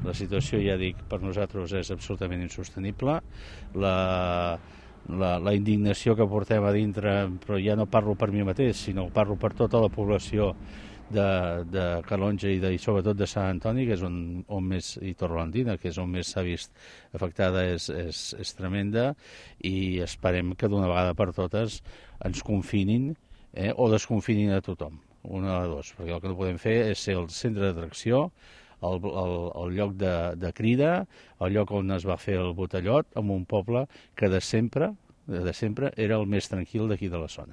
La situació, ja dic, per nosaltres és absolutament insostenible. La indignació que portem a dintre, però ja no parlo per mi mateix, sinó parlo per tota la població de Calonge i sobretot de Sant Antoni, que és on més, i Torrelandina, que és on més s'ha vist afectada, és tremenda, i esperem que d'una vegada per totes ens confinin o desconfinin a tothom, una de dos, perquè el que no podem fer és ser el centre d'atracció, el lloc de crida, el lloc on es va fer el botellot, en un poble que de sempre era el més tranquil d'aquí de la zona.